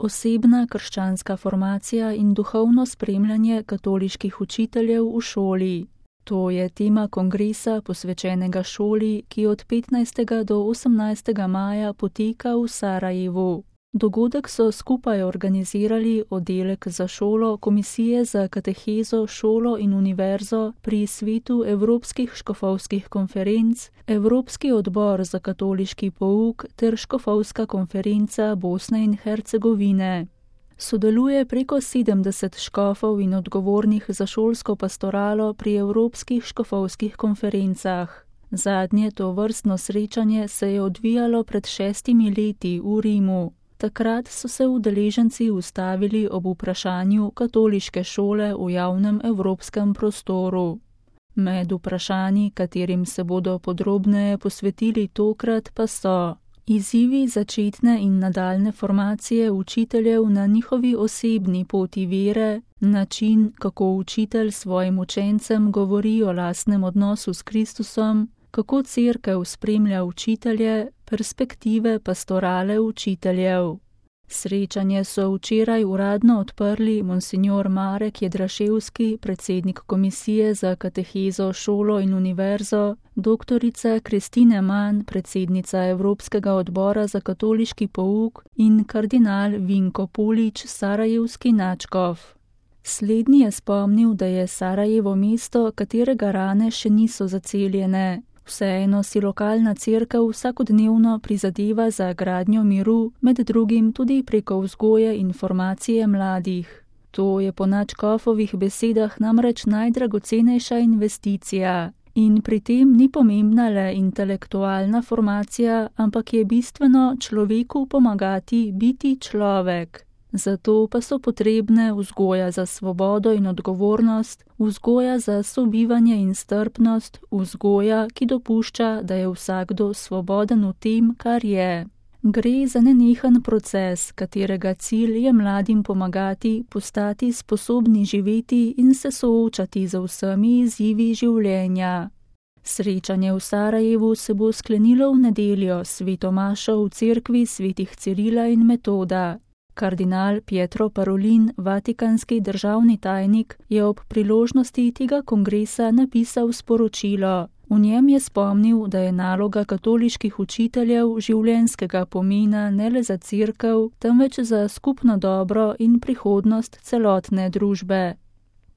Osebna krščanska formacija in duhovno spremljanje katoliških učiteljev v šoli. To je tema kongresa posvečenega šoli, ki od 15. do 18. maja poteka v Sarajevu. Dogodek so skupaj organizirali oddelek za šolo Komisije za katehezo, šolo in univerzo pri Svetu Evropskih škofovskih konferenc, Evropski odbor za katoliški pouk ter Škofovska konferenca Bosne in Hercegovine. Sodeluje preko 70 škofov in odgovornih za šolsko pastoralo pri Evropskih škofovskih konferencah. Zadnje tovrstno srečanje se je odvijalo pred 6 leti v Rimu. Takrat so se udeleženci ustavili ob vprašanju katoliške šole v javnem evropskem prostoru. Med vprašanji, katerim se bodo podrobneje posvetili tokrat, pa so izzivi začetne in nadaljne formacije učiteljev na njihovi osebni poti vere, način, kako učitelj svojim učencem govori o lastnem odnosu s Kristusom, kako cerkev spremlja učitelje, perspektive pastorale učiteljev. Srečanje so včeraj uradno odprli monsignor Marek Jedraševski, predsednik Komisije za katehezo, šolo in univerzo, doktorica Kristine Mann, predsednica Evropskega odbora za katoliški pouk in kardinal Vinko Pulič, sarajevski nadškof. Slednji je spomnil, da je Sarajevo mesto, katerega rane še niso zaceljene. Vseeno si lokalna cerkev vsakodnevno prizadeva za gradnjo miru, med drugim tudi preko vzgoje in formacije mladih. To je po nadškofovih besedah namreč najdragocenejša investicija. In pri tem ni pomembna le intelektualna formacija, ampak je bistveno človeku pomagati biti človek. Zato pa so potrebne vzgoja za svobodo in odgovornost, vzgoja za sobivanje in strpnost, vzgoja, ki dopušča, da je vsakdo svoboden v tem, kar je. Gre za nenehen proces, katerega cilj je mladim pomagati postati sposobni živeti in se soočati z vsemi izzivi življenja. Srečanje v Sarajevu se bo sklenilo v nedeljo s sveto mašo v cerkvi svetih Cirila in Metoda. Kardinal Pietro Parolin, vatikanski državni tajnik, je ob priložnosti tega kongresa napisal sporočilo. V njem je spomnil, da je naloga katoliških učiteljev življenjskega pomena ne le za cerkev, temveč za skupno dobro in prihodnost celotne družbe.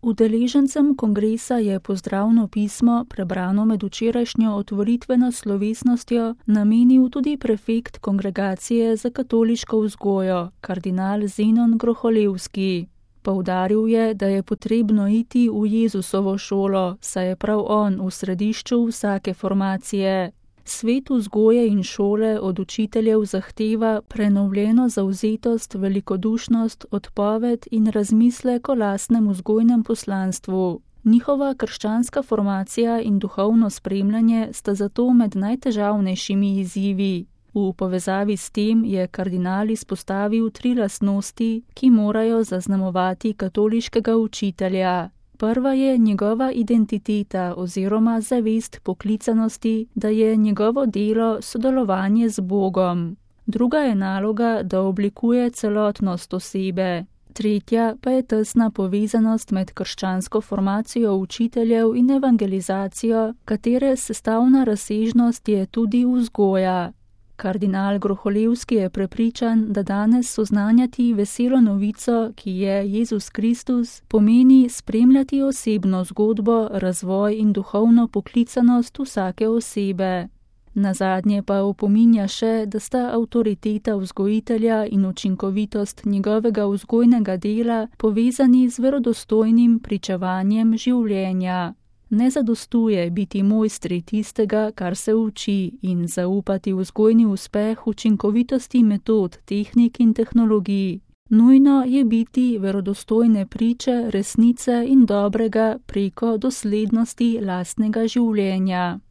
Udeležencem kongresa je pozdravno pismo, prebrano med včerajšnjo otvoritveno slovesnostjo, namenil tudi prefekt Kongregacije za katoliško vzgojo, kardinal Zenon Groholevski. Poudaril je, da je potrebno iti v Jezusovo šolo, saj je prav on v središču vsake formacije. Svet vzgoje in šole od učiteljev zahteva prenovljeno zavzetost, velikodušnost, odpoved in razmislek o lastnem vzgojnem poslanstvu. Njihova krščanska formacija in duhovno spremljanje sta zato med najtežavnejšimi izzivi. V povezavi s tem je kardinal izpostavil 3 lastnosti, ki morajo zaznamovati katoliškega učitelja. Prva je njegova identiteta oziroma zavest poklicanosti, da je njegovo delo sodelovanje z Bogom. Druga je naloga, da oblikuje celotnost osebe. Tretja pa je tesna povezanost med krščansko formacijo učiteljev in evangelizacijo, katere sestavna razsežnost je tudi vzgoja. Kardinal Groholevski je prepričan, da danes soznanjati veselo novico, ki je Jezus Kristus, pomeni spremljati osebno zgodbo, razvoj in duhovno poklicanost vsake osebe. Nazadnje pa opominja še, da sta avtoriteta vzgojitelja in učinkovitost njegovega vzgojnega dela povezani z verodostojnim pričevanjem življenja. Ne zadostuje biti mojstri tistega, kar se uči, in zaupati vzgojni uspeh učinkovitosti metod, tehnik in tehnologij. Nujno je biti verodostojne priče, resnice in dobrega preko doslednosti lastnega življenja.